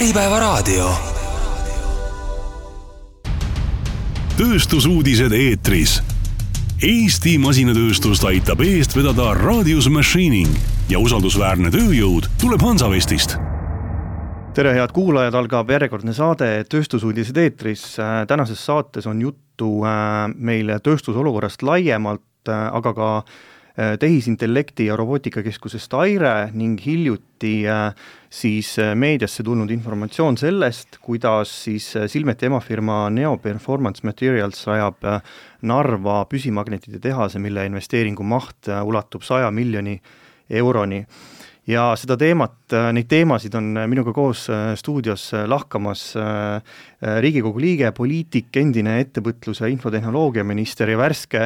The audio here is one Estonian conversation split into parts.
Äripäevaraadio. Tööstusuudised eetris. Eesti masinatööstust aitab eest vedada Radius Machining ja usaldusväärne tööjõud tuleb Hansavestist. Tere head kuulajad, algab järjekordne saade Tööstusuudised eetris. Tänases saates on juttu meil tööstusolukorrast laiemalt, aga ka tehisintellekti ja robootikakeskusest Aire ning hiljuti siis meediasse tulnud informatsioon sellest, kuidas siis Silmeti emafirma Neo Performance Materials rajab Narva püsimagnetide tehase, mille investeeringu maht ulatub 100 miljoni euroni. Ja seda teemat, neid teemasid on minuga koos stuudios lahkamas Riigikogu liige, poliitik, endine ettevõtluse infotehnoloogia minister ja värske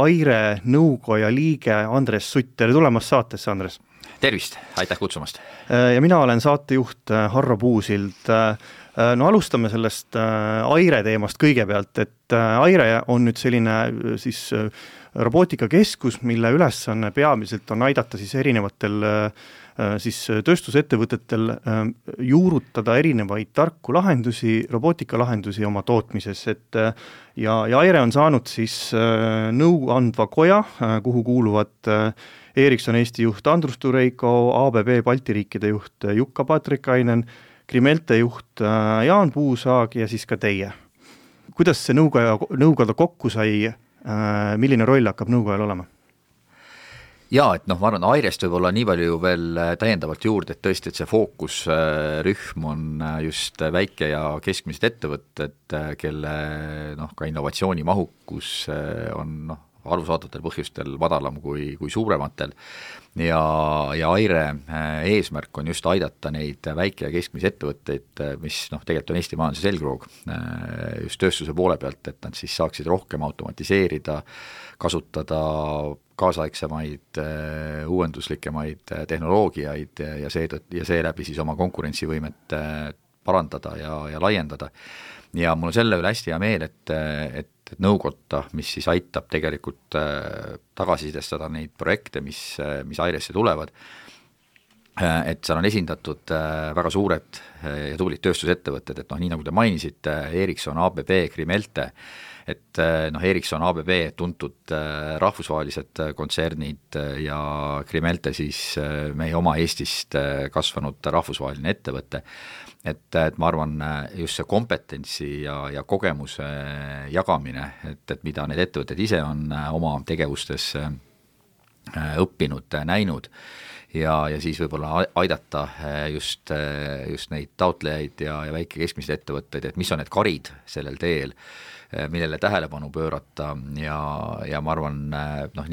Aire nõukoja liige Andres Sutt. Tere tulemast saatesse, Andres. Tervist, aitäh kutsumast. Ja mina olen saatejuht Harro Puusild. No alustame sellest Aire teemast kõigepealt, et Aire on nüüd selline siis robootikakeskus, mille ülesanne peamiselt on aidata siis erinevatel siis tööstusettevõtetel juurutada erinevaid tarku lahendusi, robootikalahendusi oma tootmises, et ja Aire on saanud siis nõuandva koja, kuhu kuuluvad Ericsson Eesti juht Andrus Tureiko, ABB Balti riikide juht Jukka Patrikainen, Krimelte juht Jaan Puusaag ja siis ka teie. Kuidas see nõukoda kokku sai, milline roll hakkab nõukojal olema? Jaa, et ma arvan, Airest võib olla nii palju veel täiendavalt juurde, et tõesti, et see fookusrühm on just väike ja keskmised ettevõtted, kelle ka innovatsiooni mahukus on arusaadavatel põhjustel madalam kui suurematel ja Aire eesmärk on just aidata neid väike ja keskmisi ettevõtteid, mis tegelikult on Eesti majanduse selgroog just tööstuse poole pealt, et nad siis saaksid rohkem automatiseerida, kasutada kaasaegsemaid, uuenduslikemaid tehnoloogiaid ja seeläbi siis oma konkurentsivõimet parandada ja laiendada. Ja mul on selle üle hästi hea meel, et nõukotta, mis siis aitab tegelikult tagasisidestada neid projekte, mis Airesse tulevad, et seal on esindatud väga suured ja tublid tööstusettevõtted, et nii nagu te mainisite, Ericsson, ABB, Krimelte, et Ericsson, ABB tuntud rahvusvahelised kontsernid ja Krimelte siis meie oma Eestist kasvanud rahvusvaheline ettevõte, et ma arvan just see kompetentsi ja kogemuse jagamine, et mida need ettevõtted ise on oma tegevustes õppinud, näinud ja siis võib-olla aidata just neid taotlejaid ja väike keskmised ettevõtteid, et mis on need karid sellel teel, millele tähelepanu pöörata ja ma arvan,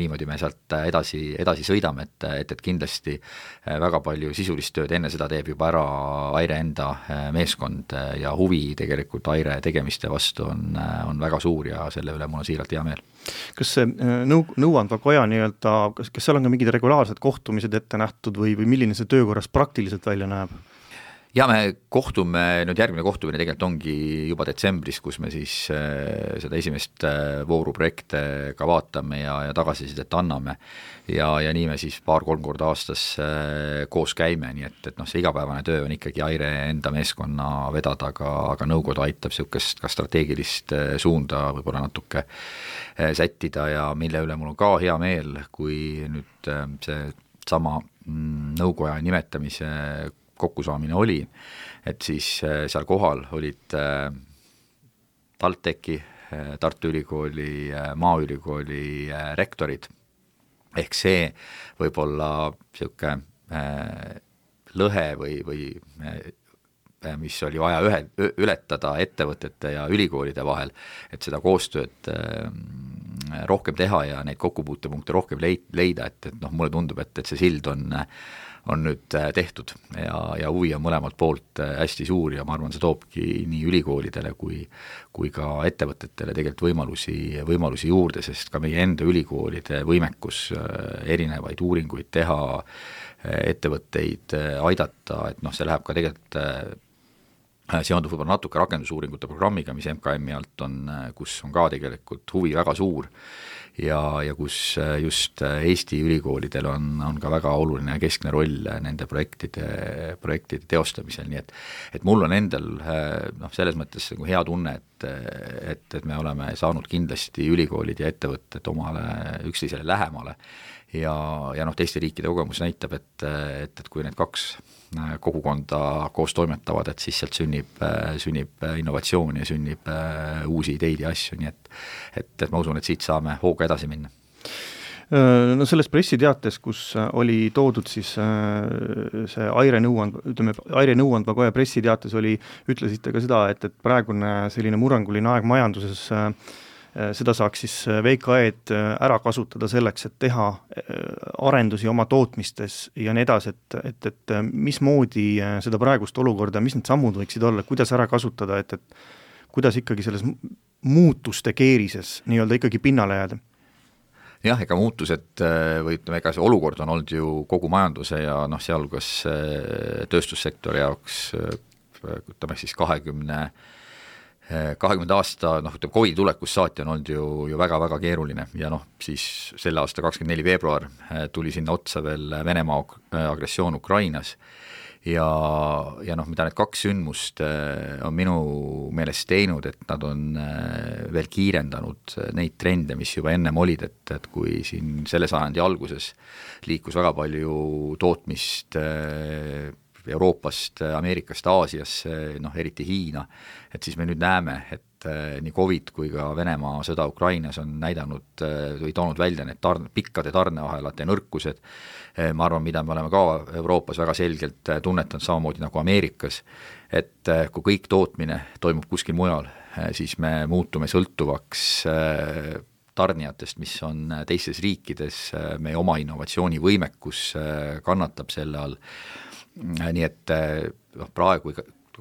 niimoodi me sealt edasi sõidame, et kindlasti väga palju sisulist tööd enne seda teeb juba ära Aire enda meeskond ja huvi tegelikult Aire tegemiste vastu on väga suur ja selle üle mul on siiralt hea meel. Kas see nõuandva koja kas seal on ka mingid regulaarsed kohtumised ette nähtud või milline see töökorras praktiliselt välja näeb? Ja me kohtume, järgmine kohtumine tegelikult ongi juba detsembris, kus me siis seda esimest vooruprojekte ka vaatame ja tagasisidet anname ja nii me siis 2-3 korda aastas koos käime, nii et see igapäevane töö on ikkagi Aire enda meeskonna vedada, aga nõukoda aitab siukest ka strateegilist suunda võib-olla natuke sättida ja mille üle mul on ka hea meel, kui nüüd see sama nõukoja nimetamise kokkusaamine oli, et siis seal kohal olid TalTechi, Tartu Ülikooli, Maaülikooli rektorid, ehk see võib-olla siuke lõhe või mis oli vaja ületada ettevõtete ja ülikoolide vahel, et seda koostööd rohkem teha ja neid kokkupuutepunkte rohkem leida, et mulle tundub, et see sild on nüüd tehtud ja huvi on mõlemalt poolt hästi suur ja ma arvan, see toobki nii ülikoolidele kui ka ettevõtetele tegelikult võimalusi juurde, sest ka meie enda ülikoolide võimekus erinevaid uuringuid teha, ettevõtteid aidata, et see läheb ka tegelikult seondub võib-olla natuke rakendusuuringute programmiga, mis MKM-i alt on, kus on ka tegelikult huvi väga suur ja kus just Eesti ülikoolidel on ka väga oluline keskne roll nende projektide teostamisel, nii et mul on endal selles mõttes nagu hea tunne, et me oleme saanud kindlasti ülikoolid ja ettevõtted omale üksteisele lähemale ja teiste riikide kogemus näitab, et kui need kaks kogukonda koos toimetavad, et siis sealt sünnib innovatsioon ja sünnib uusi ideid ja asju, nii et ma usun, et siit saame hooga edasi minna. No selles pressiteates, kus oli toodud siis see Aire nõuandva koja pressiteates ütlesite ka seda, et praegune selline murranguline aeg majanduses seda saaks siis VKE-d ära kasutada selleks, et teha arendusi oma tootmistes ja nii edasi, et mismoodi seda praegust olukorda, mis need sammud võiksid olla, kuidas ära kasutada, et kuidas ikkagi selles muutuste keerises nii-öelda ikkagi pinnale jääda? Jah, ega muutused või ütleme, ega see olukord on olnud ju kogu majanduse ja sealhulgas tööstussektori jaoks ütleme siis 20 aasta, ütleme COVID tulekust saati on olnud ju väga-väga keeruline ja siis selle aasta 24 veebruar tuli sinna otsa veel Venemaa agressioon Ukrainas ja mida need kaks sündmust on minu meelest teinud, et nad on veel kiirendanud neid trende, mis juba ennem olid, et kui siin selle sajandi alguses liikus väga palju tootmist Euroopast, Ameerikast, Aasiasse, eriti Hiina, et siis me nüüd näeme, et nii COVID kui ka Venemaa sõda Ukrainas on näidanud või toonud välja need pikkade tarneahelate nõrkused, ma arvan, mida me oleme ka Euroopas väga selgelt tunnetanud samamoodi nagu Ameerikas, et kui kõik tootmine toimub kuskil mujal, siis me muutume sõltuvaks tarnijatest, mis on teistes riikides, meie oma innovatsioonivõimekus kannatab selle all, nii et praegu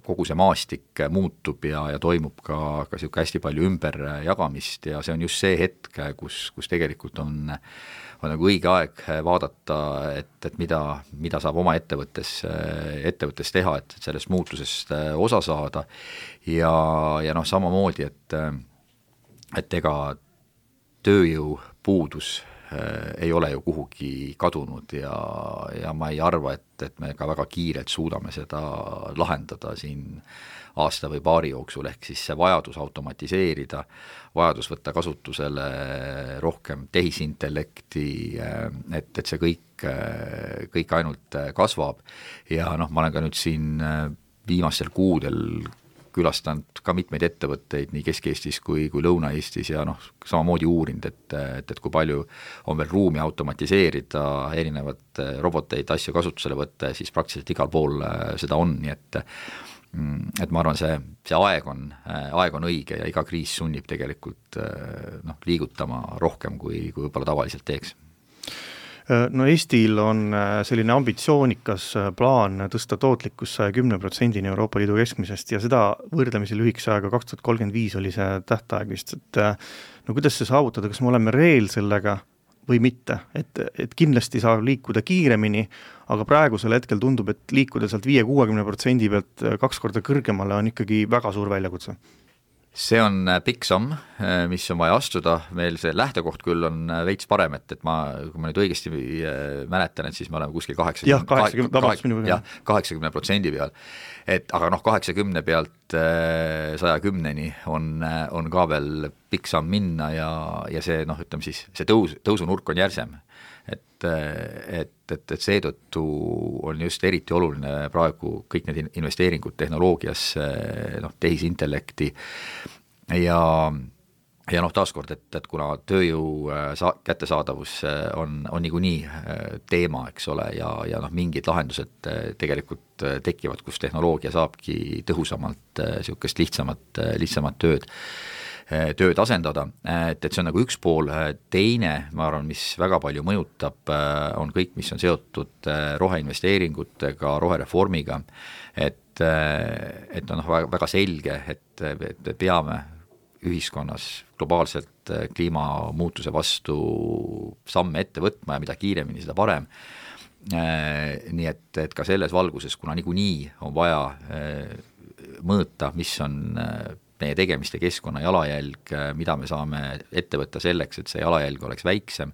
kogu see maastik muutub ja toimub ka niisugune hästi palju ümberjagamist ja see on just see hetk, kus tegelikult on nagu õige aeg vaadata, et mida saab oma ettevõttes teha, et sellest muutusest osa saada ja samamoodi, et ega tööjõupuudus ei ole ju kuhugi kadunud ja ma ei arva, et me ka väga kiirelt suudame seda lahendada siin aasta või paari jooksul, ehk siis see vajadus automatiseerida, vajadus võtta kasutusele rohkem tehisintellekti, et see kõik ainult kasvab ja ma olen ka nüüd siin viimastel kuudel külastanud ka mitmeid ettevõtteid nii Kesk-Eestis kui Lõuna-Eestis ja samamoodi uurinud, et kui palju on veel ruumi automatiseerida, erinevad roboteid, asju kasutusele võtta, siis praktiliselt igal pool seda on, nii et ma arvan, see aeg on õige ja iga kriis sunnib tegelikult liigutama rohkem, kui võib-olla tavaliselt teeks. No Eestil on selline ambitsioonikas plaan tõsta tootlikkus 110% Euroopa Liidu keskmisest ja seda võrdlemisi lühikese aega 2035 oli see tähtaeg vist, et kuidas see saavutada, kas me oleme reel sellega või mitte, et kindlasti saab liikuda kiiremini, aga praegusel hetkel tundub, et liikuda sealt 5-60% pealt 2 korda kõrgemale on ikkagi väga suur väljakutse. See on pikk samm, mis on vaja astuda, meil see lähtekoht küll on veits parem, et kui ma nüüd õigesti mäletan, et siis me oleme kuskil 80% peal, aga 80 pealt 110-ni on ka veel pikk samm minna ja see, ütleme siis, see tõusunurk on järsem. Et seetõttu on just eriti oluline praegu kõik need investeeringud tehnoloogiasse, tehisintellekti ja taaskord, et kuna tööjõu kättesaadavus on niikuinii teema, eks ole, ja mingid lahendused tegelikult tekivad, kus tehnoloogia saabki tõhusamalt niisugust lihtsamat tööd asendada, et see on nagu üks pool, teine, ma arvan, mis väga palju mõjutab, on kõik, mis on seotud roheinvesteeringutega, rohereformiga, et on väga selge, et peame ühiskonnas globaalselt kliimamuutuse vastu samme ette võtma ja mida kiiremini, seda parem. Nii et ka selles valguses, kuna niikuinii on vaja mõõta, mis on meie tegemiste keskkonna jalajälg, mida me saame ette võtta selleks, et see jalajälg oleks väiksem,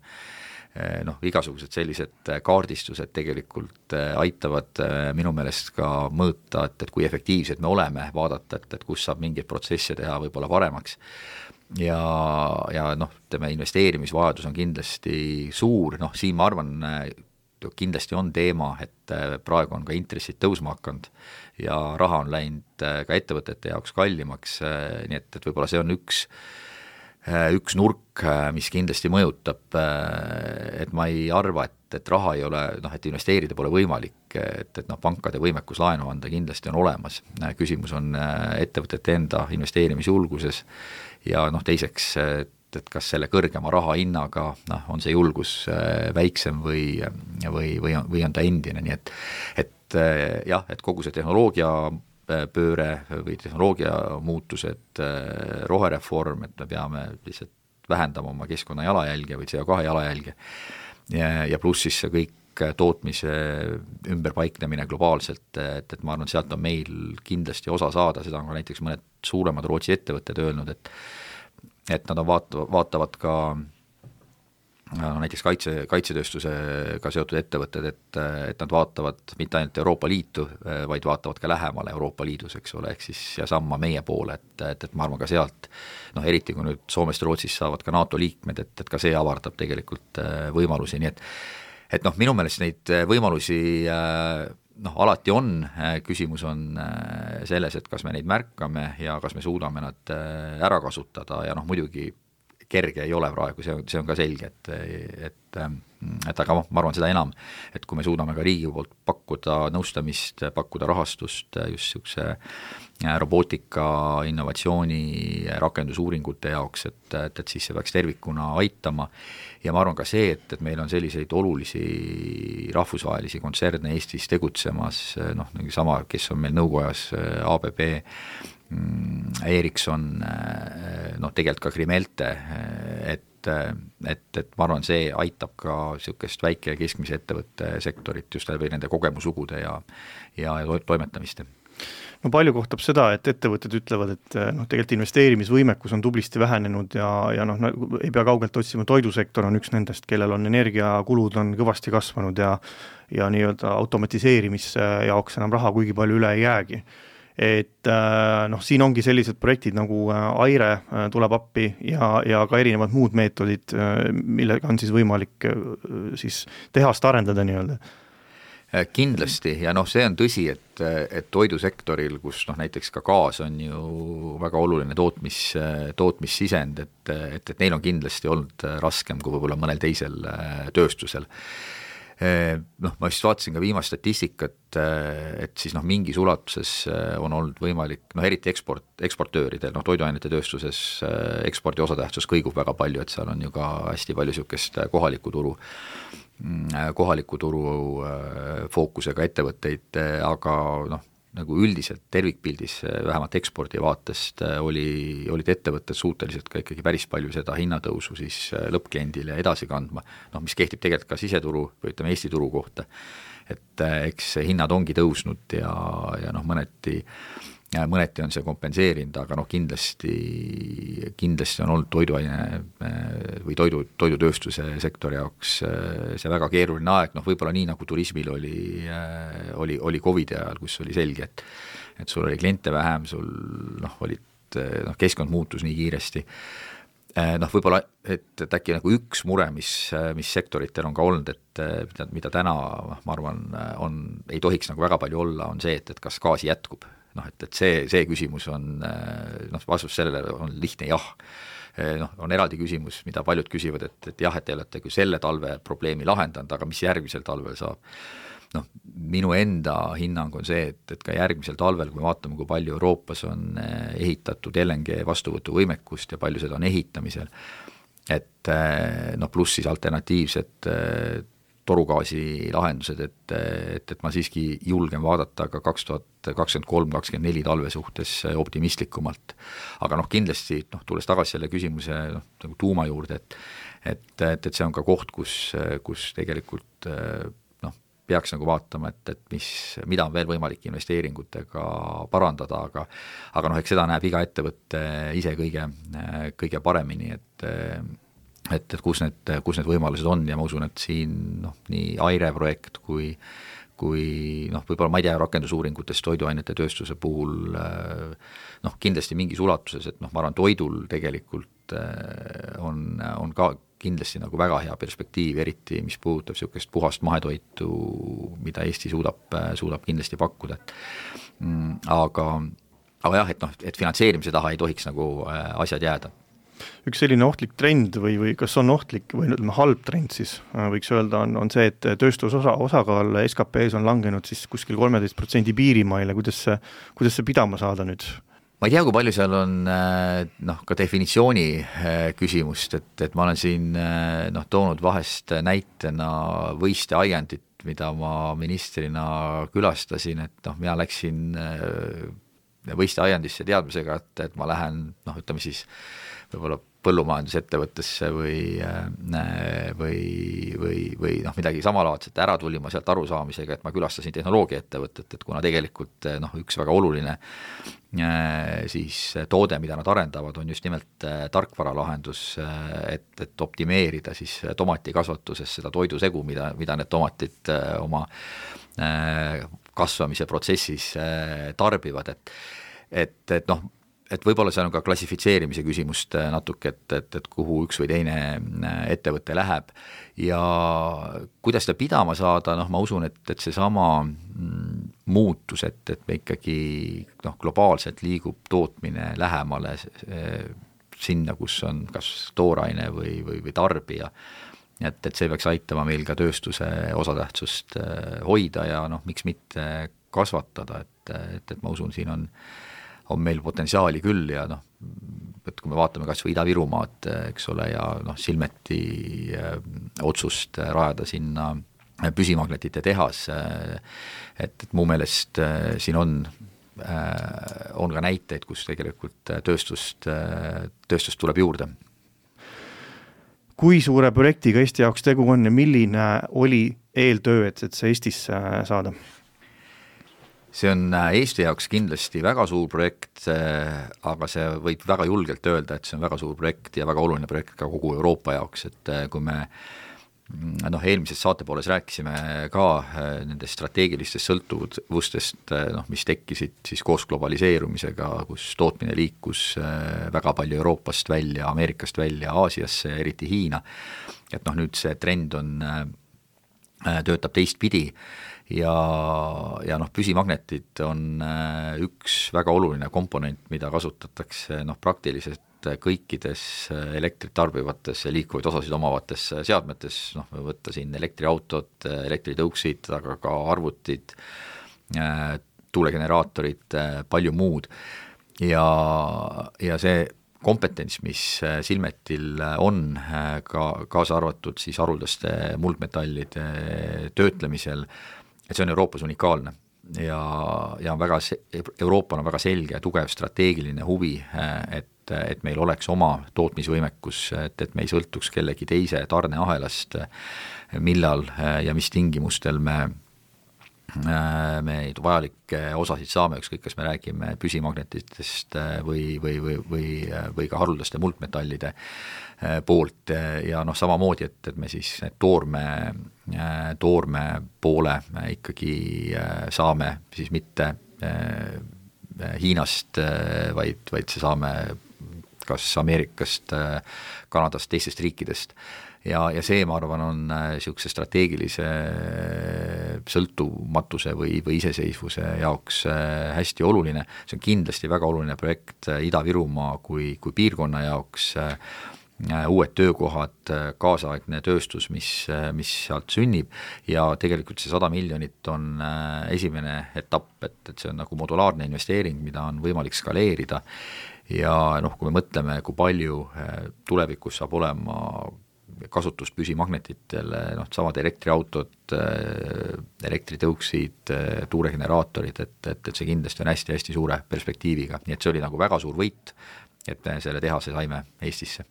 igasugused sellised kaardistused tegelikult aitavad minu meelest ka mõõta, et kui efektiivsed me oleme, vaadata, et kus saab mingeid protsesse teha võib-olla paremaks. Ja investeerimisvajadus on kindlasti suur, siin ma arvan, kindlasti on teema, et praegu on ka intressid tõusma hakanud ja raha on läinud ka ettevõtete jaoks kallimaks, nii et võib-olla see on üks nurk, mis kindlasti mõjutab, et ma ei arva, et raha ei ole, et investeerida pole võimalik, et pankade võimekus laenu anda kindlasti on olemas. Küsimus on ettevõtete enda investeerimisjulguses ja teiseks, et kas selle kõrgema raha hinnaga on see julgus väiksem või on ta endine, nii et kogu see tehnoloogia pööre või tehnoloogia muutused, rohereform, et me peame lihtsalt vähendama oma keskkonna jalajälge või CO2 jalajälge ja pluss siis see kõik tootmise ümberpaiknemine globaalselt, et ma arvan, sealt on meil kindlasti osa saada, seda on ka näiteks mõned suuremad Rootsi ettevõtted öelnud, et nad vaatavad ka näiteks kaitsetööstusega seotud ettevõtted, et nad vaatavad mitte ainult Euroopa Liitu, vaid vaatavad ka lähemale Euroopa Liidus, eks ole, ehk siis ja samma meie poole, et ma arvan ka sealt, eriti kui nüüd Soomest Rootsist saavad ka NATO liikmed, et ka see avardab tegelikult võimalusi, nii et minu meelest neid võimalusi alati on, küsimus on selles, et kas me neid märkame ja kas me suudame nad ära kasutada ja muidugi kerge ei ole praegu, see on ka selge, et aga ma arvan seda enam, et kui me suudame ka riigi poolt pakkuda nõustamist, pakkuda rahastust just niisuguse robootika, innovatsiooni, rakendusuuringute jaoks, et siis see peaks tervikuna aitama ja ma arvan ka see, et meil on selliseid olulisi rahvusvahelisi kontserne Eestis tegutsemas, sama, kes on meil nõukojas, ABB, Ericsson, tegelikult ka Krimelte, et ma arvan, see aitab ka niisugust väike- ja keskmise ettevõtte sektorit just läbi nende kogemuslugude ja toimetamiste. No palju kohtab seda, et ettevõtted ütlevad, et tegelikult investeerimisvõimekus on tublisti vähenenud ja ei pea kaugelt otsima, toidusektor on üks nendest, kellel on energiakulud on kõvasti kasvanud ja nii-öelda automatiseerimise jaoks enam raha kuigi palju üle ei jäägi. Et siin ongi sellised projektid nagu Aire tuleb appi ja ka erinevad muud meetodid, millega on siis võimalik siis tehast arendada nii-öelda. Kindlasti ja see on tõsi, et toidusektoril, kus näiteks ka gaas on ju väga oluline tootmissisend, et neil on kindlasti olnud raskem kui võib-olla mõnel teisel tööstusel. Ma just vaatasin ka viimast statistikat, et siis mingis ulatuses on olnud võimalik, eriti eksportööridel, toiduainete tööstuses ekspordi osatähtsus kõigub väga palju, et seal on ju ka hästi palju niisugust kohaliku turu fookusega ettevõtteid, aga nagu üldiselt tervikpildis vähemalt ekspordi vaatest olid ettevõtted suuteliselt ka ikkagi päris palju seda hinnatõusu siis lõppkliendile edasi kandma, mis kehtib tegelikult ka siseturu või ütleme Eesti turu kohta, et eks hinnad ongi tõusnud ja mõneti on see kompenseerinud, aga kindlasti on olnud toiduaine või toidutööstuse sektori jaoks see väga keeruline aeg, võib-olla nii nagu turismil oli COVID ajal, kus oli selge, et sul oli kliente vähem, sul keskkond muutus nii kiiresti. Võib-olla, et äkki nagu üks mure, mis sektoritel on ka olnud, et mida täna, ma arvan, ei tohiks nagu väga palju olla, on see, et kas gaasi jätkub. Et see küsimus on, vastus sellele on lihtne jah. On eraldi küsimus, mida paljud küsivad, et jah, et te olete kui selle talve probleemi lahendanud, aga mis järgmisel talvel saab? Minu enda hinnang on see, et ka järgmisel talvel, kui me vaatame, kui palju Euroopas on ehitatud LNG vastuvõtuvõimekust ja palju seda on ehitamisel, et pluss siis alternatiivsed torugaasi lahendused, et ma siiski julgen vaadata ka 2023-2024 talve suhtes optimistlikumalt. Aga kindlasti, tulles tagasi selle küsimuse nagu tuuma juurde, et see on ka koht, kus tegelikult peaks nagu vaatama, et mida on veel võimalik investeeringutega parandada, aga noh, eks seda näeb iga ettevõtte ise kõige paremini, et kus need võimalused on ja ma usun, et siin nii Aire projekt kui võib-olla ma ei tea rakendusuuringutest toiduainete tööstuse puhul kindlasti mingis ulatuses, et ma arvan, toidul tegelikult on ka kindlasti nagu väga hea perspektiiv, eriti mis puudutab niisugust puhast mahetoitu, mida Eesti suudab kindlasti pakkuda. Aga jah, et finantseerimise taha ei tohiks nagu asjad jääda. Üks selline ohtlik trend või kas on ohtlik või ütleme halb trend siis, võiks öelda, on see, et osakaal SKP-s on langenud siis kuskil 13% piirimaile, kuidas see pidama saada nüüd? Ma ei tea, kui palju seal on ka definitsiooni küsimust, et ma olen siin toonud vahest näitena Võiste aiandit, mida ma ministrina külastasin, et mina läksin Võiste aiandisse teadmisega, et ma lähen, ütleme siis võib-olla põllumajandusettevõttesse või midagi samalaadset ära tulin ma sealt arusaamisega, et ma külastasin tehnoloogiaettevõtet, et kuna tegelikult üks väga oluline siis toode, mida nad arendavad, on just nimelt tarkvaralahendus, et optimeerida siis tomatikasvatuses seda toidusegu, mida need tomatid oma kasvamise protsessis tarbivad, et võib-olla see on ka klassifitseerimise küsimust natuke, et kuhu üks või teine ettevõte läheb ja kuidas seda pidama saada, ma usun, et seesama muutus, et me ikkagi globaalselt liigub tootmine lähemale sinna, kus on kas tooraine või tarbija, et see peaks aitama meil ka tööstuse osatähtsust hoida ja miks mitte kasvatada, et ma usun, siin on meil potentsiaali küll ja et kui me vaatame kas või Ida-Virumaad, eks ole, ja Silmeti otsust rajada sinna püsimagnetite tehas, et mu meelest siin on ka näiteid, kus tegelikult tööstust tuleb juurde. Kui suure projektiga Eesti jaoks tegu on ja milline oli eeltöö, et see Eestisse saada? See on Eesti jaoks kindlasti väga suur projekt, aga see võib väga julgelt öelda, et see on väga suur projekt ja väga oluline projekt ka kogu Euroopa jaoks, et kui me eelmises saatepooles rääkisime ka nendest strateegilistest sõltuvustest, mis tekkisid siis koos globaliseerumisega, kus tootmine liikus väga palju Euroopast välja, Ameerikast välja, Aasiasse, eriti Hiina, et nüüd see trend töötab teistpidi ja püsimagnetid on üks väga oluline komponent, mida kasutatakse praktiliselt kõikides elektrit tarbivates ja liikuvaid osasid omavates seadmetes, võtta siin elektriautod, elektritõuksid, aga ka arvutid, tuulegeneraatorid, palju muud ja see kompetents, mis Silmetil on, kaasa arvatud siis haruldaste muldmetallide töötlemisel, et see on Euroopas unikaalne ja Euroopal on väga selge ja tugev strateegiline huvi, et meil oleks oma tootmisvõimekus, et me ei sõltuks kellegi teise tarneahelast, millal ja mis tingimustel me vajalikke osasid saame, ükskõik kas me räägime püsimagnetitest või ka haruldaste muldmetallide poolt ja samamoodi, et me siis toorme poole ikkagi saame siis mitte Hiinast, vaid see saame kas Ameerikast, Kanadast, teistest riikidest ja see, ma arvan, on niisuguse strateegilise sõltumatuse või iseseisvuse jaoks hästi oluline. See on kindlasti väga oluline projekt Ida-Virumaa kui piirkonna jaoks, uued töökohad, kaasaegne tööstus, mis sealt sünnib ja tegelikult see 100 miljonit on esimene etapp, et see on nagu modulaarne investeering, mida on võimalik skaleerida ja kui me mõtleme, kui palju tulevikus saab olema kasutust püsimagnetitele, samad elektriautod, elektritõuksid, tuulegeneraatorid, et see kindlasti on hästi-hästi suure perspektiiviga, nii et see oli nagu väga suur võit, et me selle tehase saime Eestisse.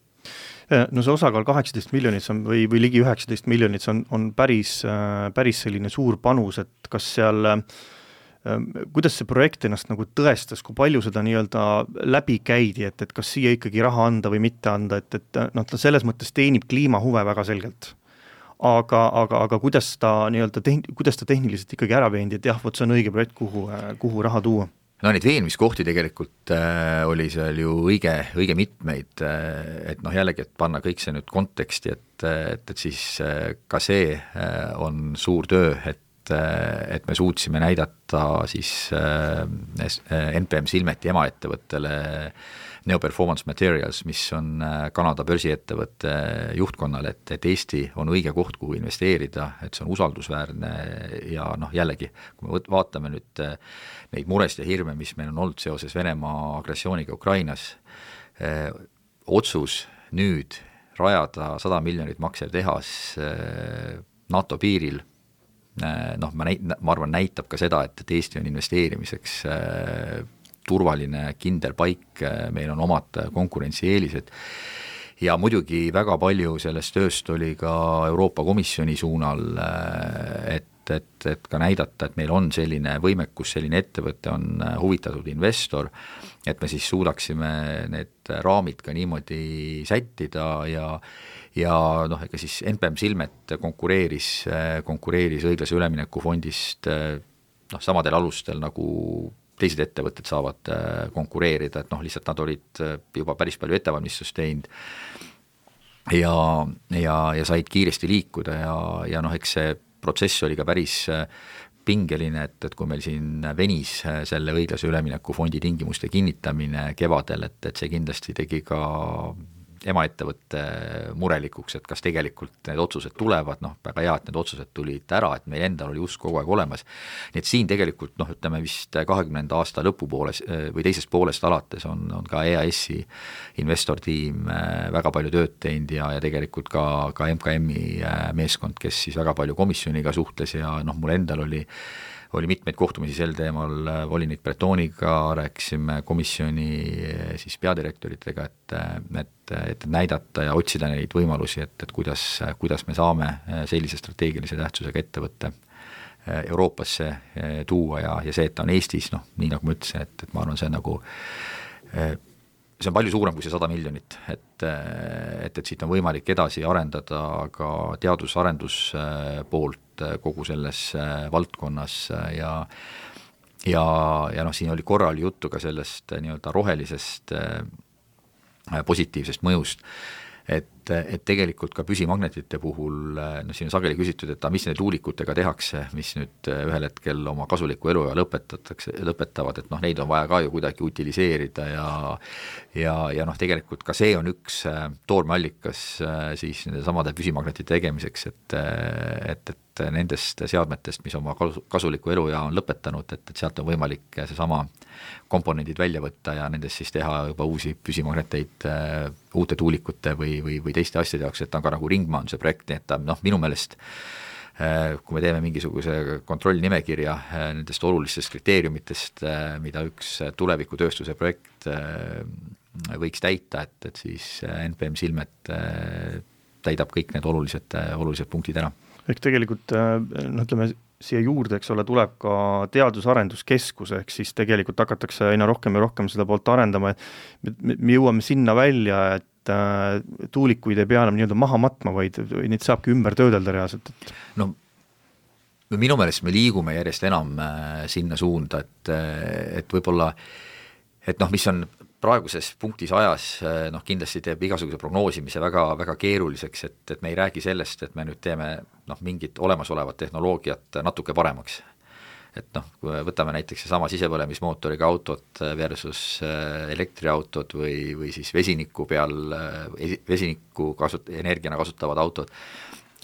No see osakaal 18 miljonit või ligi 19 miljonit, see on päris selline suur panus, et kas seal, kuidas see projekt ennast nagu tõestas, kui palju seda nii-öelda läbi käidi, et kas siia ikkagi raha anda või mitte anda, et ta selles mõttes teenib kliimahuve väga selgelt. Aga kuidas ta tehniliselt ikkagi ära veendi, et jah, see on õige projekt, kuhu raha tuua? No neid veenmiskohti tegelikult oli seal ju õige mitmeid, et jällegi, et panna kõik see nüüd konteksti, et siis ka see on suur töö, et me suutsime näidata siis NPM Silmeti emaettevõttele Neo Performance Materials, mis on Kanada börsiettevõtte juhtkonnale, et Eesti on õige koht, kuhu investeerida, et see on usaldusväärne ja jällegi, kui me vaatame nüüd neid muresid ja hirme, mis meil on olnud seoses Venemaa agressiooniga Ukrainas, otsus nüüd rajada 100 miljonit maksev tehas NATO piiril, ma arvan, näitab ka seda, et Eesti on investeerimiseks turvaline, kindel paik, meil on omad konkurentsieelised ja muidugi väga palju sellest tööst oli ka Euroopa Komisjoni suunal, et ka näidata, et meil on selline võimekus, selline ettevõte on huvitatud investor, et me siis suudaksime need raamid ka niimoodi sättida ja ega siis NPM Silmet konkureeris õiglase ülemineku fondist samadel alustel nagu teised ettevõtted saavad konkureerida, et lihtsalt nad olid juba päris palju ettevalmistust teinud ja said kiiresti liikuda ja eks see protsess oli ka päris pingeline, et kui meil siin venis selle õiglase ülemineku fondi tingimuste kinnitamine kevadel, et see kindlasti tegi ka emaettevõtte murelikuks, et kas tegelikult need otsused tulevad, väga hea, et need otsused tulid ära, et meil endal oli usk kogu aeg olemas. Nii et siin tegelikult, ütleme vist 20. aasta lõpupooles või teisest poolest alates on ka EAS-i investortiim väga palju tööd teinud ja tegelikult ka MKM-i meeskond, kes siis väga palju komisjoniga suhtles ja mul endal oli mitmeid kohtumisi sel teemal, volinik Bretoniga, rääkisime komisjoni siis peadirektoritega, et näidata ja otsida neid võimalusi, et kuidas me saame sellise strateegilise tähtsusega ettevõtte Euroopasse tuua ja see, et ta on Eestis, nii nagu ma ütlesin, et ma arvan, see on nagu see on palju suurem kui see 100 miljonit, et siit on võimalik edasi arendada ka teadus-arendus poolt kogu selles valdkonnas ja siin oli korra juttu ka sellest nii-öelda rohelisest positiivsest mõjust, et tegelikult ka püsimagnetite puhul, siin on sageli küsitud, et mis need tuulikutega tehakse, mis nüüd ühel hetkel oma kasuliku eluea lõpetavad, et neid on vaja ka ju kuidagi utiliseerida ja tegelikult ka see on üks toormeallikas siis nende samade püsimagnetite tegemiseks, et nendest seadmetest, mis oma kasuliku eluea on lõpetanud, et sealt on võimalik seesama komponendid välja võtta ja nendest siis teha juba uusi püsimagneteid uute tuulikute või teiste asjade jaoks, et ta on ka nagu ringmajanduse projekt, nii et ta minu meelest, kui me teeme mingisuguse kontrollnimekirja nendest olulistest kriteeriumitest, mida üks tulevikutööstuse projekt võiks täita, et siis NPM Silmet täidab kõik need olulised punktid ära. Ehk tegelikult, ütleme, siia juurde, eks ole, tuleb ka teadus-arenduskeskus, ehk siis tegelikult hakatakse aina rohkem ja rohkem seda poolt arendama, et me jõuame sinna välja, et tuulikuid ei pea enam nii-öelda maha matma, vaid neid saabki ümber töödelda reaalselt. Minu meelest me liigume järjest enam sinna suunda, et võib-olla, et mis on praeguses punktis ajas, kindlasti teeb igasuguse prognoosimise väga, väga keeruliseks, et me ei räägi sellest, et me nüüd teeme mingit olemasolevat tehnoloogiat natuke paremaks. Et kui võtame näiteks sama sisepõlemismootoriga autot versus elektriautod või siis vesiniku peal, vesiniku energiana kasutavad autod,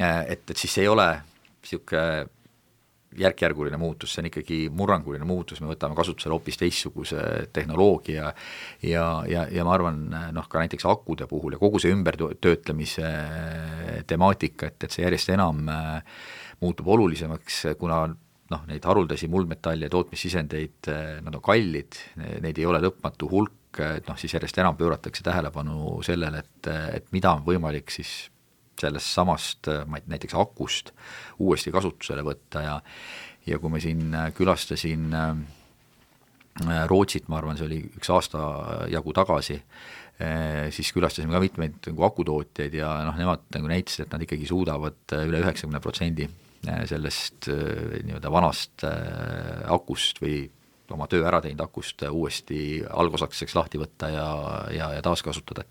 et siis see ei ole niisugune järk-järguline muutus, see on ikkagi murranguline muutus, me võtame kasutusele hoopis teistsuguse tehnoloogia ja ma arvan, ka näiteks akude puhul ja kogu see ümbertöötlemise temaatika, et see järjest enam muutub olulisemaks, kuna neid haruldasi muldmetalle ja tootmissisendeid, nad on kallid, neid ei ole lõpmatu hulk noh, siis järjest enam pööratakse tähelepanu sellele, et mida on võimalik siis sellest samast näiteks akust uuesti kasutusele võtta ja kui me siin külastasin Rootsit, ma arvan, see oli üks aasta jagu tagasi, siis külastasime ka mitmeid nagu akutootjaid ja noh, nemad nagu näitasid, et nad ikkagi suudavad üle 90% sellest nii-öelda vanast akust või oma töö ära teinud akust uuesti algosakeseks lahti võtta ja taaskasutada,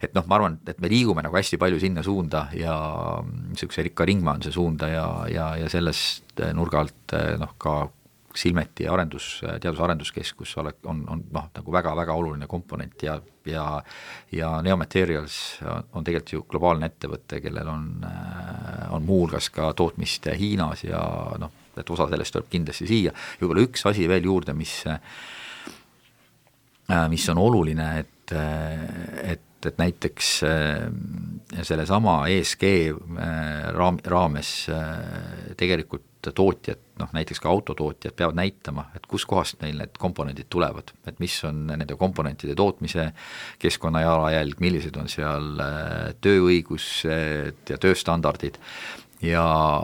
et noh, ma arvan, et me liigume nagu hästi palju sinna suunda ja niisuguse rikka ringmajanduse suunda ja sellest nurga alt noh, ka Silmeti teadus-arenduskeskus on noh, nagu väga-väga oluline komponent ja Neomaterials on tegelikult ju globaalne ettevõte, kellel on muuhulgas ka tootmist Hiinas ja noh, et osa sellest tuleb kindlasti siia. Ja võib-olla üks asi veel juurde, mis on oluline, et näiteks selle sama ESG raames tegelikult tootjad, noh näiteks ka autotootjad peavad näitama, et kus kohast neil need komponendid tulevad, et mis on nende komponentide tootmise keskkonnajalajälg, millised on seal tööõigused ja tööstandardid ja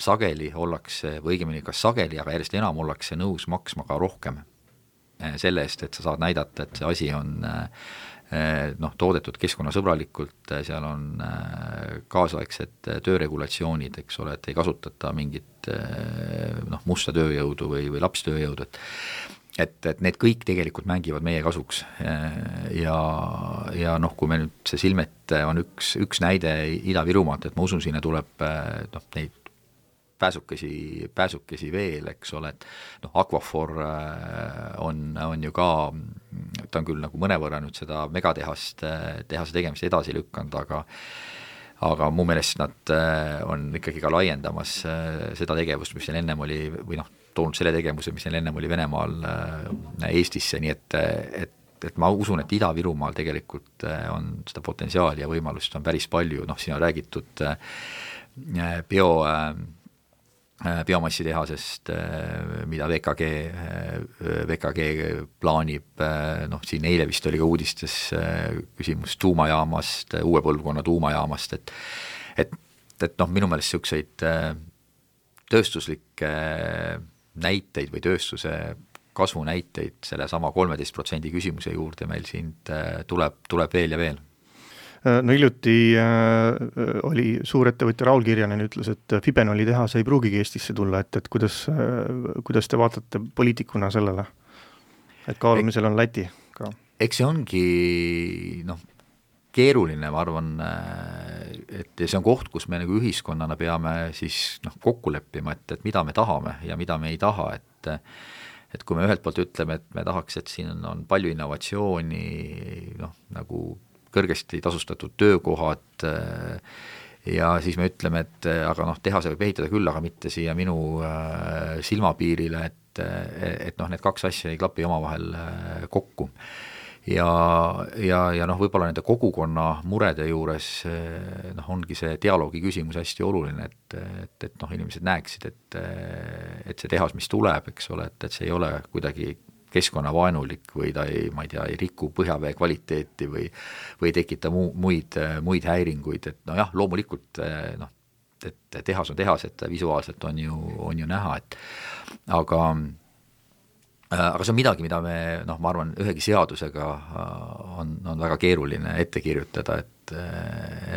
sageli ollakse, või õigemini kas sageli, aga järjest enam ollakse nõus maksma ka rohkem selle eest, et sa saad näidata, et see asi on noh, toodetud keskkonnasõbralikult, seal on kaasaegsed tööregulatsioonid, eks ole, et ei kasutata mingit noh, musta tööjõudu või lapstööjõudu, et need kõik tegelikult mängivad meie kasuks ja noh, kui me nüüd see Silmet on üks näide Ida-Virumaalt, et ma usun, sinna tuleb noh, neid pääsukesi veel, eks ole, et noh, Aquafor on ju ka, ta on küll nagu mõnevõrra nüüd seda megatehase tegemist edasi lükanud, aga mu meelest nad on ikkagi ka laiendamas seda tegevust, mis neil ennem oli, või noh, toonud selle tegevuse, mis neil ennem oli Venemaal Eestisse, nii et ma usun, et Ida-Virumaal tegelikult on seda potentsiaali ja võimalust on päris palju, noh, siin on räägitud biomassitehasest, mida VKG plaanib, noh siin eile vist oli ka uudistes küsimus tuumajaamast, uue põlvkonna tuumajaamast, et noh, minu meelest niisuguseid tööstuslikke näiteid või tööstuse kasvunäiteid selle sama 13% küsimuse juurde meil siin tuleb veel ja veel. No hiljuti oli suurettevõtja Raul Kirjanen ütles, et Fibenoli tehas ei pruugigi Eestisse tulla, et kuidas te vaatate poliitikuna sellele, et kaalumisel on Läti ka? Eks see ongi noh, keeruline, ma arvan, et see on koht, kus me nagu ühiskonnana peame siis noh, kokku leppima, et mida me tahame ja mida me ei taha, et kui me ühelt poolt ütleme, et me tahaks, et siin on palju innovatsiooni, noh, nagu kõrgesti tasustatud töökohad ja siis me ütleme, et aga noh, tehase võib ehitada küll, aga mitte siia minu silmapiirile, et noh, need kaks asja ei klapi omavahel kokku. Ja noh, võib-olla nende kogukonna murede juures noh, ongi see dialoogi küsimus hästi oluline, et noh, inimesed näeksid, et see tehas, mis tuleb, eks ole, et see ei ole kuidagi keskkonnavaenulik või ta ei riku põhjavee kvaliteeti või ei tekita muid häiringuid, et no jah, loomulikult noh, et tehas on tehas, et visuaalselt on ju näha, et aga see on midagi, mida me noh, ma arvan, ühegi seadusega on väga keeruline ette kirjutada,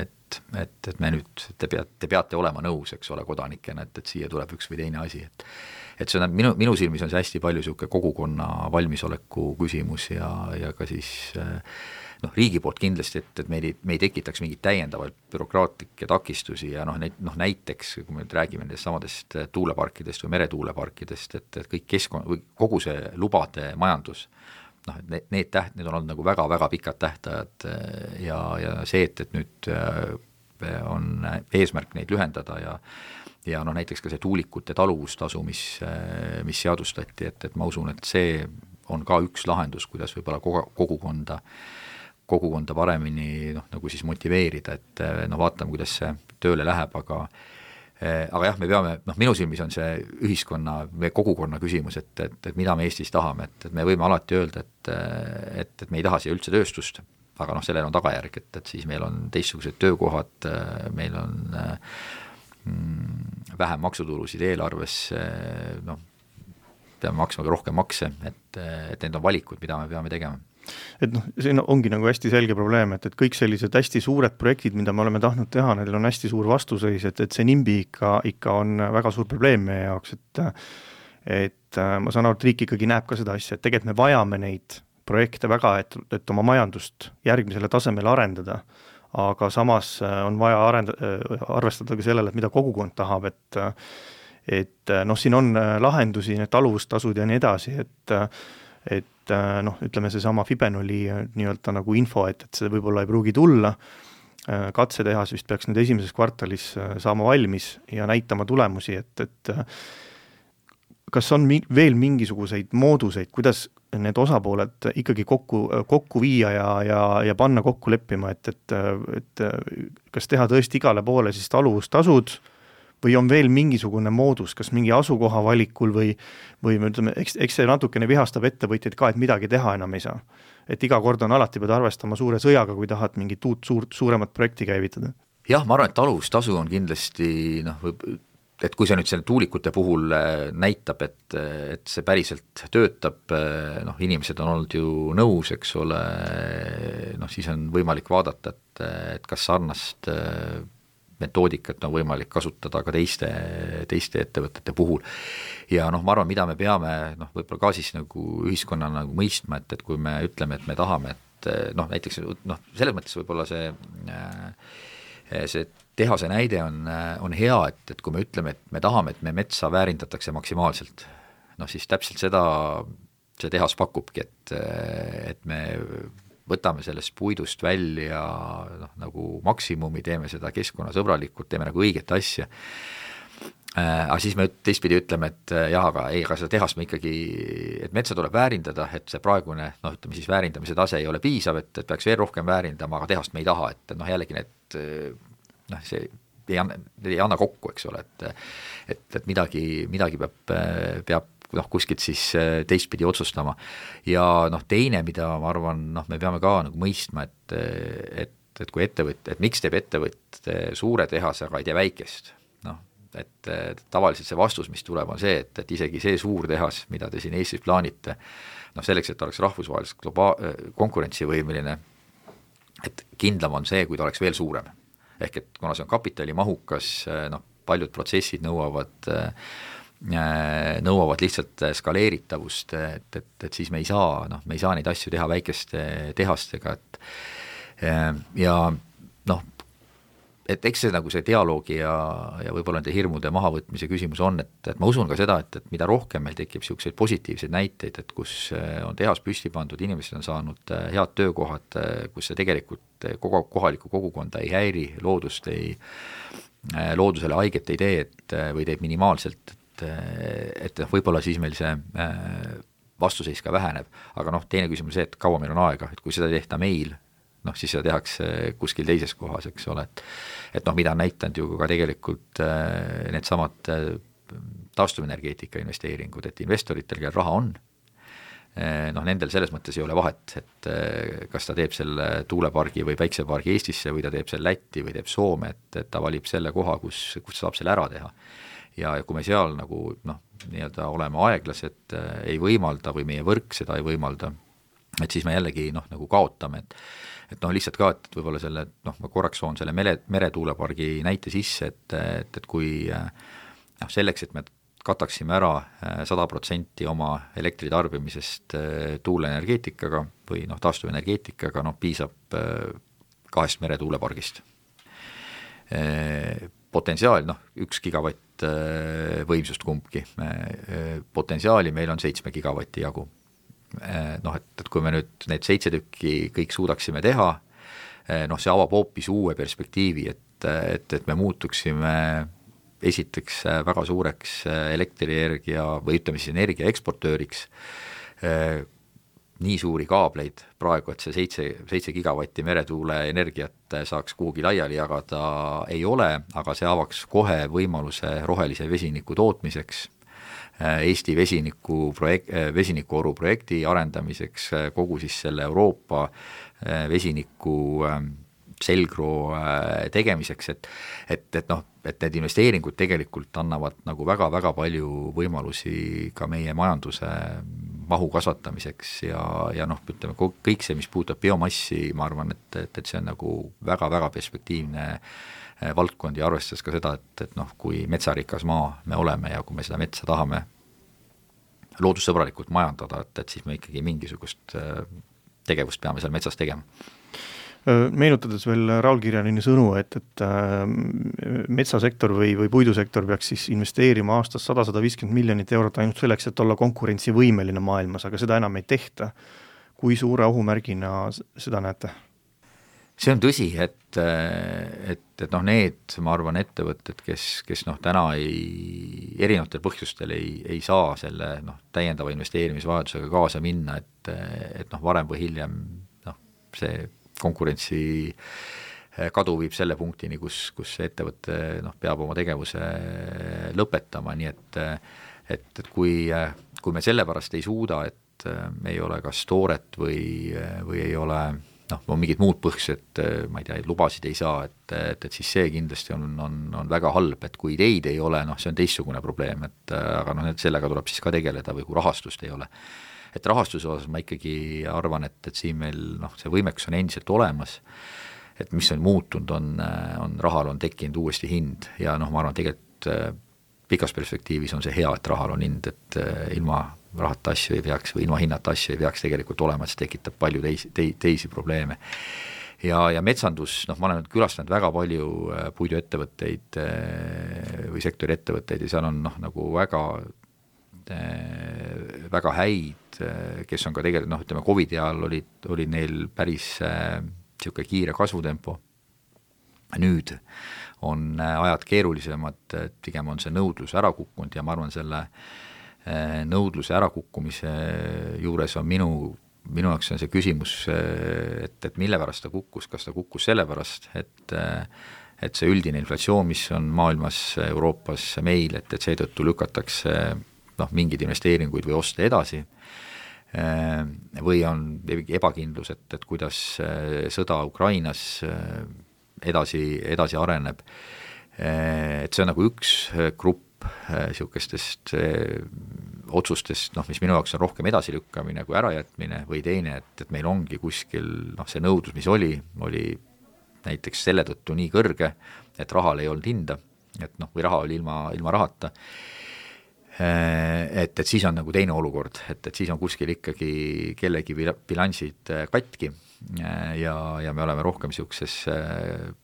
et me nüüd, te peate olema nõus, eks ole, kodanikena, et siia tuleb üks või teine asi, et see on minu silmis on see hästi palju niisugune kogukonna valmisoleku küsimus ja ka siis noh, riigi poolt kindlasti, et me ei tekitaks mingit täiendavaid bürokraatlikke takistusi ja noh, näiteks kui me räägime nendest samadest tuuleparkidest või meretuuleparkidest, et kõik või kogu see lubade majandus, noh, need on olnud nagu väga-väga pikad tähtajad ja see, et nüüd on eesmärk neid lühendada ja noh, näiteks ka see tuulikute taluvustasu, mis seadustati, et ma usun, et see on ka üks lahendus, kuidas võib-olla kogukonda paremini noh, nagu siis motiveerida, et noh, vaatame, kuidas see tööle läheb, aga aga jah, me peame, minu silmis on see ühiskonna, meie kogukonna küsimus, et mida me Eestis tahame, et me võime alati öelda, et me ei taha siia üldse tööstust, aga sellel on tagajärg, et siis meil on teistsugused töökohad, meil on vähem maksutulusid eelarves, peame maksma rohkem makse, et need on valikud, mida me peame tegema. Et siin ongi nagu hästi selge probleem, et kõik sellised hästi suured projektid, mida me oleme tahtnud teha, neil on hästi suur vastuseis, et see NIMBY ikka on väga suur probleem meie jaoks, et ma saan aru, et riik ikkagi näeb ka seda asja, et tegelikult me vajame neid projekte väga, et oma majandust järgmisele tasemele arendada, aga samas on vaja arvestada ka sellele, et mida kogukond tahab, et siin on lahendusi, need taluvustasud ja nii edasi, et ütleme seesama Fibenoli nii-öelda nagu info, et see võib-olla ei pruugi tulla, katsetehas vist peaks nüüd esimeses kvartalis saama valmis ja näitama tulemusi, et kas on veel mingisuguseid mooduseid, kuidas need osapooled ikkagi kokku viia ja panna kokku leppima, et kas teha tõesti igale poole siis taluvustasud või on veel mingisugune moodus, kas mingi asukoha valikul või me ütleme, eks see natukene vihastab ettevõtjaid ka, et midagi teha enam ei saa. Et iga kord on alati pead arvestama suure sõjaga, kui tahad mingit suuremat projekti käivitada. Jah, ma arvan, et taluvustasu on kindlasti, et kui see nüüd selle tuulikute puhul näitab, et see päriselt töötab, inimesed on olnud ju nõus, eks ole, siis on võimalik vaadata, et kas sarnast metoodikat on võimalik kasutada ka teiste ettevõtete puhul. Ja ma arvan, mida me peame võib-olla ka siis nagu ühiskonna nagu mõistma, et kui me ütleme, et me tahame, et näiteks selles mõttes võib-olla see tehase näide on hea, et kui me ütleme, et me tahame, et me metsa väärindatakse maksimaalselt, siis täpselt seda see tehas pakubki, et me võtame sellest puidust välja nagu maksimumi, teeme seda keskkonnasõbralikult, teeme nagu õiget asja. Aga siis me teistpidi ütleme, et jah, aga seda tehast me ikkagi, et metsa tuleb väärindada, et see praegune, ütleme siis väärindamise tase ei ole piisav, et peaks veel rohkem väärindama, aga tehast me ei taha, et jällegi need, see ei anna kokku, eks ole, et midagi peab kuskilt siis teistpidi otsustama. Ja teine, mida ma arvan, me peame ka nagu mõistma, et kui et miks teeb ettevõtte suure tehase, aga ei tee väikest. Et tavaliselt see vastus, mis tuleb, on see, et isegi see suur tehas, mida te siin Eestis plaanite, selleks, et ta oleks rahvusvaheliselt konkurentsivõimeline, et kindlam on see, kui ta oleks veel suurem. Ehk et kuna see on kapitalimahukas, paljud protsessid nõuavad lihtsalt skaleeritavust, et siis me ei saa neid asju teha väikeste tehastega, ja et eks see nagu see dialoogi ja võib-olla nende hirmude mahavõtmise küsimus on, et ma usun ka seda, et mida rohkem meil tekib selliseid positiivseid näiteid, et kus on tehas püsti pandud, inimesed on saanud head töökohad, kus see tegelikult kohalikku kogukonda ei häiri, loodusele haiget ei tee, või teeb minimaalselt, et võib-olla siis meil see vastuseis ka väheneb, aga teine küsimus see, et kaua meil on aega, et kui seda ei tehta meil, siis seda tehakse kuskil teises kohas, eks ole, et mida on näitanud ju ka tegelikult need samad taastuvenergeetika investeeringud, et investoritel, kellel raha on, nendel selles mõttes ei ole vahet, et kas ta teeb selle tuulepargi või päiksepargi Eestisse või ta teeb selle Lätti või teeb Soome, et ta valib selle koha, kus saab selle ära teha. Ja kui me seal nagu nii-öelda oleme aeglased, ei võimalda või meie võrk seda ei võimalda, et siis me jällegi nagu kaotame, et lihtsalt ka, et võib-olla selle, ma korraks soon selle meretuulepargi näite sisse, et kui selleks, et me kataksime ära 100% oma elektritarbimisest tuuleenergeetikaga või taastuvenergeetikaga, piisab 2 meretuulepargist. Potentsiaal, 1 gigavatt võimsust kumbki, potentsiaali meil on 7 gigavatti jagu. Et kui me nüüd need 7 tükki kõik suudaksime teha, see avab hoopis uue perspektiivi, et me muutuksime esiteks väga suureks elektrienergia või ütleme siis energia eksportööriks, nii suuri kaableid praegu, et see 7 gigavatti meretuule energiat saaks kuhugi laiali jagada, ei ole, aga see avaks kohe võimaluse rohelise vesiniku tootmiseks, Eesti vesinikuoru projekti arendamiseks, kogu siis selle Euroopa vesiniku selgroo tegemiseks, et need investeeringud tegelikult annavad nagu väga-väga palju võimalusi ka meie majanduse mahu kasvatamiseks ja noh, ütleme kõik see, mis puudutab biomassi, ma arvan, et see on nagu väga-väga perspektiivne valdkond ja arvestades ka seda, et noh, kui metsarikas maa me oleme ja kui me seda metsa tahame loodussõbralikult majandada, et siis me ikkagi mingisugust tegevust peame seal metsas tegema. Meenutades veel Raul Kirjanini sõnu, et metsasektor või puidusektor peaks siis investeerima aastas 100-150 miljonit eurot ainult selleks, et olla konkurentsivõimeline maailmas, aga seda enam ei tehta. Kui suure ohumärgina seda näete? See on tõsi, et noh, need, ma arvan, ettevõtted, kes noh, täna erinevatel põhjustel ei saa selle noh, täiendava investeerimisvajadusega kaasa minna, et noh, varem või hiljem noh, see konkurentsi kadu viib selle punktini, kus ettevõte noh, peab oma tegevuse lõpetama, nii et kui me sellepärast ei suuda, et ei ole kas tooret või ei ole noh, on mingid muud põhjused, ma ei tea, lubasid ei saa, et siis see kindlasti on väga halb, et kui ideid ei ole, noh, see on teistsugune probleem, aga noh, sellega tuleb siis ka tegeleda või kui rahastust ei ole. Et rahastuse osas ma ikkagi arvan, et siin meil noh, see võimekus on endiselt olemas, et mis on muutunud, on rahal on tekkinud uuesti hind ja noh, ma arvan, tegelikult pikas perspektiivis on see hea, et rahal on hind, et ilma rahata asju ei peaks või ilma hinnata asju ei peaks tegelikult olema, et see tekitab palju teisi probleeme. Ja metsandus, noh, ma olen külastanud väga palju puiduettevõtteid või sektori ettevõtteid ja seal on noh, nagu väga häid, kes on ka tegelikult, noh, ütleme COVID-i ajal oli neil päris niisugune kiire kasvutempo. Nüüd on ajad keerulisemad, pigem on see nõudlus ära kukkunud ja ma arvan, selle nõudluse ärakukkumise juures on minu jaoks on see küsimus, et mille pärast ta kukkus, kas ta kukkus selle pärast, et see üldine inflatsioon, mis on maailmas, Euroopas, meil, et seetõttu lükatakse noh, mingid investeeringuid või oste edasi või on ebakindlus, et kuidas sõda Ukrainas edasi areneb. Et see on nagu üks grupp niisugustest otsustest, noh, mis minu jaoks on rohkem edasilükkamine kui ärajätmine või teine, et meil ongi kuskil noh, see nõudlus, mis oli näiteks selle tõttu nii kõrge, et rahal ei olnud hinda, et noh, või raha oli ilma rahata, et siis on nagu teine olukord, et siis on kuskil ikkagi kellegi bilansid katki ja me oleme rohkem niisuguses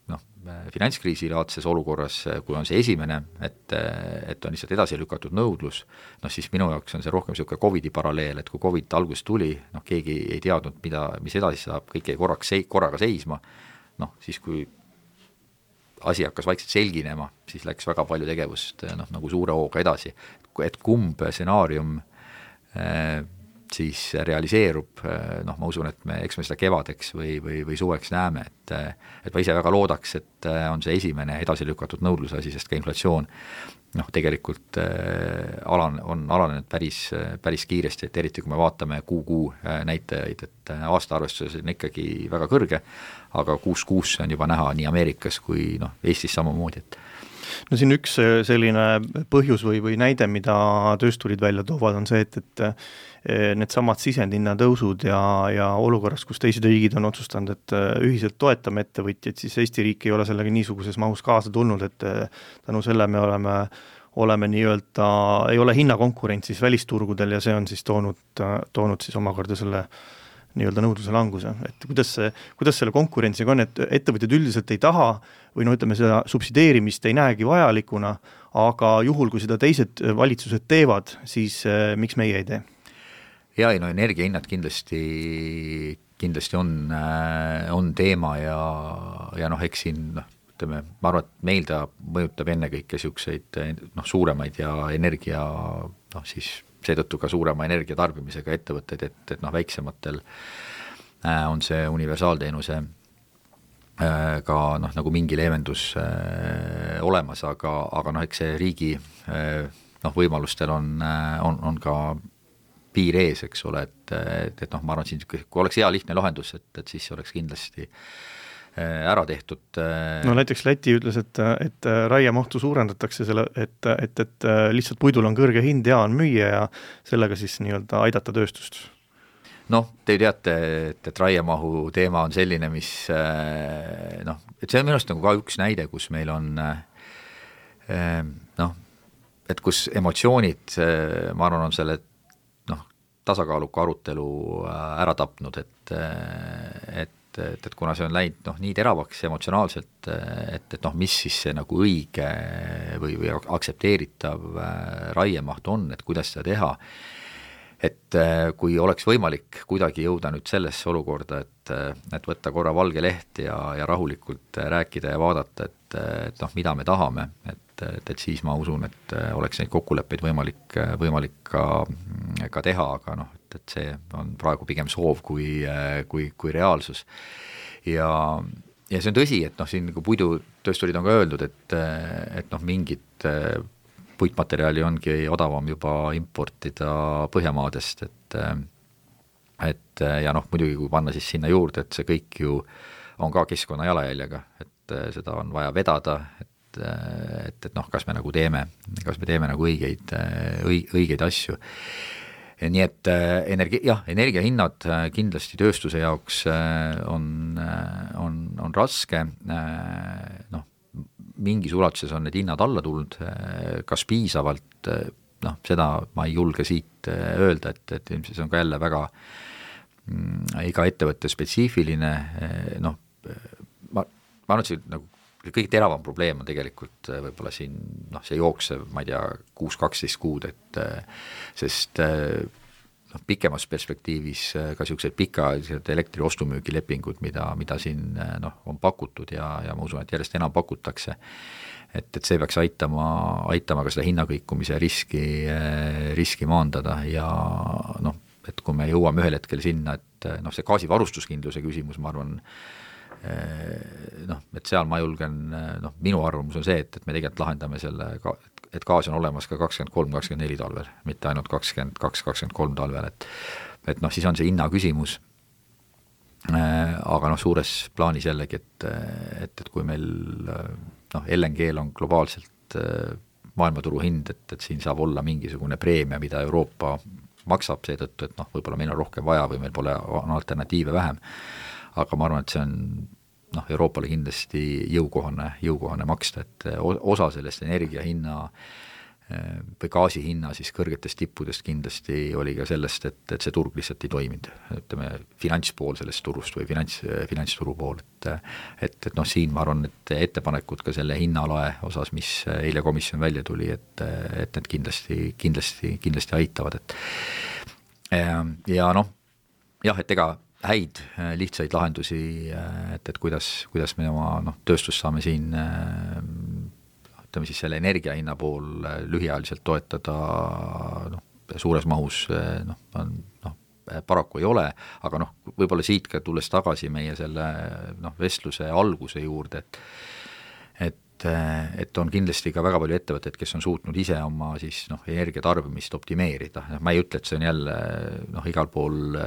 noh, finantskriisilaadses olukorras, kui on see esimene, et on lihtsalt edasi lükatud nõudlus, noh siis minu jaoks on see rohkem niisugune COVID-i paralleel, et kui COVID algus tuli, noh keegi ei teadnud, mis edasi saab, kõik jäi korraga seisma, noh siis kui asi hakkas vaikselt selginema, siis läks väga palju tegevust noh, nagu suure hooga edasi, et kumb stsenaarium siis realiseerub, noh ma usun, et eks me seda kevadeks või suveks näeme, et ma ise väga loodaks, et on see esimene edasi lükatud nõudluse asi, sest ka inflatsioon noh, tegelikult on alanenud päris kiiresti, et eriti kui me vaatame kuu näitajaid, et aastaarvestuses on ikkagi väga kõrge, aga 6 on juba näha nii Ameerikas kui noh, Eestis samamoodi, et no siin üks selline põhjus või näide, mida töösturid välja toovad, on see, et need samad sisendhinna tõusud ja olukorras, kus teised riigid on otsustanud, et ühiselt toetame ettevõtjaid, siis Eesti riik ei ole sellega niisuguses mahus kaasa tulnud, et tänu selle me oleme nii-öelda, ei ole hinnakonkurentsis välisturgudel ja see on siis toonud siis omakorda selle nii-öelda nõudluse languse, et kuidas selle konkurentsiga on, et ettevõtjad üldiselt ei taha või no ütleme, seda subsideerimist ei näegi vajalikuna, aga juhul, kui seda teised valitsused teevad, siis miks meie ei tee? Ja no energiahinnad kindlasti on teema ja noh, eks siin noh, ütleme, ma arvan, et meil ta mõjutab ennekõike niisuguseid noh, suuremaid ja energia noh, siis seetõttu ka suurema energiatarbimisega ettevõtteid, et noh, väiksematel on see universaalteenuse ka noh, nagu mingi leevendus olemas, aga noh, eks see riigi noh, võimalustel on ka piir ees, eks ole, et noh, ma arvan, siin kui oleks hea lihtne lahendus, et siis oleks kindlasti ära tehtud. No näiteks Läti ütles, et raiemahtu suurendatakse selle, et lihtsalt puidul on kõrge hind ja on müüa ja sellega siis nii-öelda aidata tööstust. Noh, te teate, et raiemahu teema on selline, mis noh, et see on minu arust nagu ka üks näide, kus meil on noh, et kus emotsioonid, ma arvan, on selle noh, tasakaaluka arutelu ära tapnud, et kuna see on läinud noh, nii teravaks emotsionaalselt, et noh, mis siis see nagu õige või aktsepteeritav raiemaht on, et kuidas seda teha, et kui oleks võimalik kuidagi jõuda nüüd sellesse olukorda, et võtta korra valge leht ja rahulikult rääkida ja vaadata, et noh, mida me tahame, et siis ma usun, et oleks neid kokkuleppeid võimalik ka teha, aga noh, et see on praegu pigem soov kui reaalsus. Ja see on tõsi, et noh, siin nagu puidutöösturid on ka öeldud, et noh, mingid puitmaterjali ongi odavam juba importida Põhjamaadest, et ja noh, muidugi kui panna siis sinna juurde, et see kõik ju on ka keskkonna jalajäljega, et seda on vaja vedada, et noh, kas me nagu teeme nagu õigeid asju. Nii et energiahinnad kindlasti tööstuse jaoks on raske, noh, mingis ulatuses on need hinnad alla tulnud, kas piisavalt, noh, seda ma ei julge siit öelda, et ilmselt see on ka jälle väga iga ettevõtte spetsiifiline, noh, ma arvan, et see nagu kõige teravam probleem on tegelikult võib-olla siin, noh, see jooksev, ma ei tea, 6-12 kuud, et sest noh, pikemas perspektiivis ka niisugused pikaajalised elektri ostumüügilepingud, mida siin noh, on pakutud ja ma usun, et järjest enam pakutakse, et see peaks aitama ka seda hinnakõikumise riski maandada ja noh, et kui me jõuame ühel hetkel sinna, et noh, see gaasivarustuskindluse küsimus, ma arvan, noh, et seal ma julgen, noh, minu arvamus on see, et me tegelikult lahendame selle, et gaas on olemas ka 23-24 talvel, mitte ainult 22-23 talvel, et noh, siis on see hinna küsimus, aga noh, suures plaanis jällegi, et kui meil noh, LNG-l on globaalselt maailmaturu hind, et siin saab olla mingisugune preemia, mida Euroopa maksab seetõttu, et noh, võib-olla meil on rohkem vaja või meil pole alternatiive vähem, aga ma arvan, et see on noh, Euroopale kindlasti jõukohane maksta, et osa sellest energiahinna või gaasihinna siis kõrgetest tippudest kindlasti oli ka sellest, et see turg lihtsalt ei toiminud, ütleme finantspool sellest turust või finantsturu pool, et noh, siin ma arvan, et ettepanekud ka selle hinnalae osas, mis eile komisjon välja tuli, et need kindlasti aitavad, ja noh, jah, et ega häid lihtsaid lahendusi, et kuidas me oma noh, tööstust saame siin ütleme siis selle energiahinna pool lühiajaliselt toetada noh, suures mahus noh, paraku ei ole, aga noh, võib-olla siit ka tulles tagasi meie selle noh, vestluse alguse juurde, et on kindlasti ka väga palju ettevõtteid, kes on suutnud ise oma siis noh, energiatarbimist optimeerida, ma ei ütle, et see on jälle noh, igal pool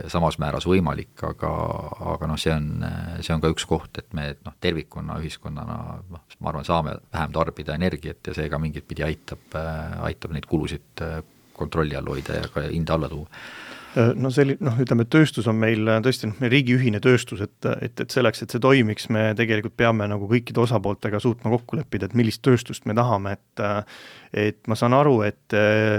samas määras võimalik, aga noh, see on ka üks koht, et me noh, tervikuna, ühiskonnana noh, ma arvan, saame vähem tarbida energiat ja see ka mingit pidi aitab neid kulusid kontrolli all hoida ja ka hinda alla tuua. No ütleme, tööstus on meil tõesti riigi ühine tööstus, et selleks, et see toimiks, me tegelikult peame nagu kõikide osapooltega suutma kokku leppida, et millist tööstust me tahame, et ma saan aru, et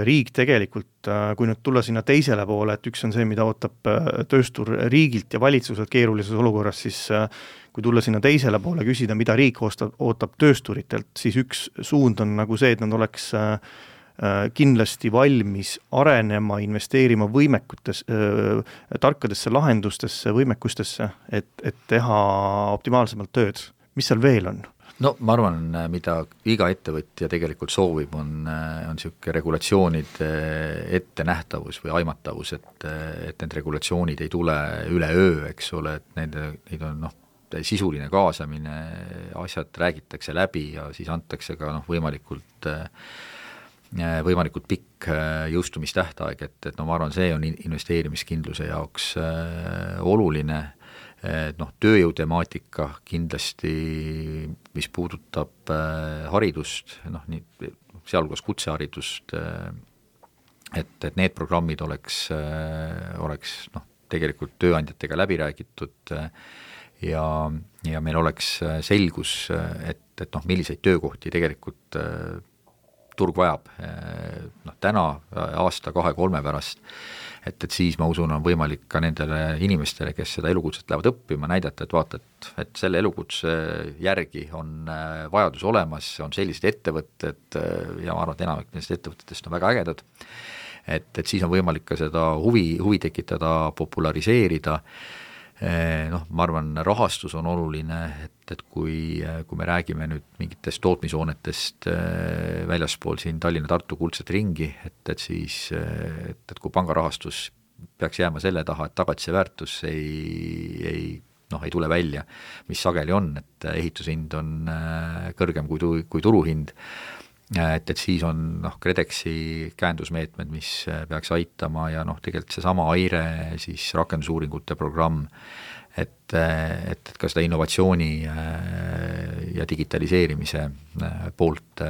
riik tegelikult, kui nüüd tulla sinna teisele poole, et üks on see, mida ootab tööstur riigilt ja valitsuselt keerulises olukorras, siis kui tulla sinna teisele poole, küsida, mida riik ootab töösturitelt, siis üks suund on nagu see, et nad oleks kindlasti valmis arenema, investeerima tarkadesse lahendustesse, võimekustesse, et teha optimaalsemalt tööd. Mis seal veel on? No ma arvan, mida iga ettevõtja tegelikult soovib, on niisugune regulatsioonide ettenähtavus või aimatavus, et need regulatsioonid ei tule üleöö, eks ole, et neid on sisuline kaasamine, asjad räägitakse läbi ja siis antakse ka võimalikult pikk jõustumistähtaeg, et ma arvan, see on investeerimiskindluse jaoks oluline. Tööjõu temaatika kindlasti, mis puudutab haridust, sealhulgas kutseharidust, et need programmid oleks tegelikult tööandjatega läbi räägitud ja meil oleks selgus, et milliseid töökohti tegelikult turg vajab. Täna aasta 2-3 pärast, et siis ma usun, on võimalik ka nendele inimestele, kes seda elukutset lähevad õppima, näidata, et vaata, et selle elukutse järgi on vajadus olemas, on sellised ettevõtted ja ma arvan, et enamik nendest ettevõtetest on väga ägedad, et siis on võimalik ka seda huvi tekitada, populariseerida. Ma arvan, rahastus on oluline, et kui me räägime nüüd mingitest tootmishoonetest väljaspool siin Tallinna-Tartu kuldset ringi, et siis, et kui pangarahastus peaks jääma selle taha, et tagatise väärtus ei tule välja, mis sageli on, et ehitushind on kõrgem kui turuhind, et siis on KredExi käendusmeetmed, mis peaks aitama ja tegelikult seesama AIRE siis rakendusuuringute programm, et ka seda innovatsiooni ja digitaliseerimise poolt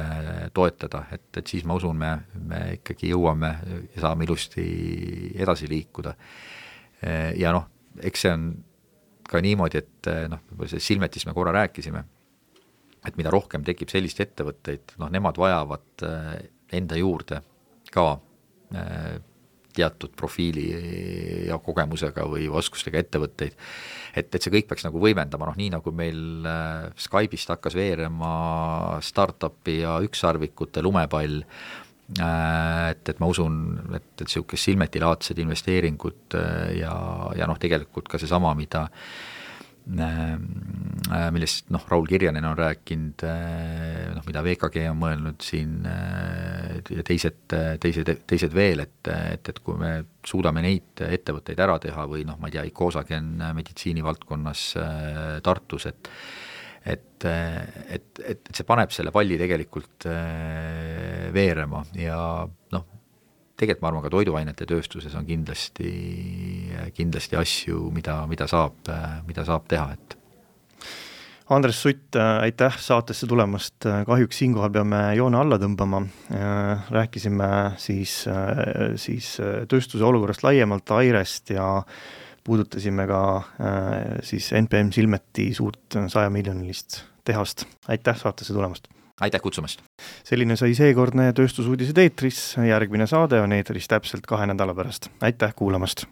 toetada, et siis ma usun, me ikkagi jõuame ja saame ilusti edasi liikuda. Ja eks see on ka niimoodi, et see Silmetis me korra rääkisime, et mida rohkem tekib sellist ettevõtteid, nemad vajavad enda juurde ka teatud profiili ja kogemusega või oskustega ettevõtteid, et see kõik peaks võimendama, nii nagu meil Skype'ist hakkas veerema startupi ja ükssarvikute lumepall, et ma usun, et niisugune Silmeti-laadsed investeeringud ja tegelikult ka seesama, millest Raul Kirjanen on rääkinud, mida VKG on mõelnud siin ja teised veel, et kui me suudame neid ettevõtteid ära teha või ma ei tea, Icosagen meditsiinivaldkonnas Tartus, et see paneb selle palli tegelikult veerema ja tegelikult ma arvan, ka toiduainete tööstuses on kindlasti asju, mida saab teha, et Andres Sutt, aitäh saatesse tulemast, kahjuks siinkohal peame joone alla tõmbama, rääkisime siis tööstuse olukorrast laiemalt AIRE-st ja puudutasime ka siis NPM Silmeti suurt 100-miljonilist tehast. Aitäh saatesse tulemast! Aitäh kutsumast! Selline sai seekordne tööstusuudised eetris, järgmine saade on eetris täpselt 2 nädala pärast. Aitäh kuulamast!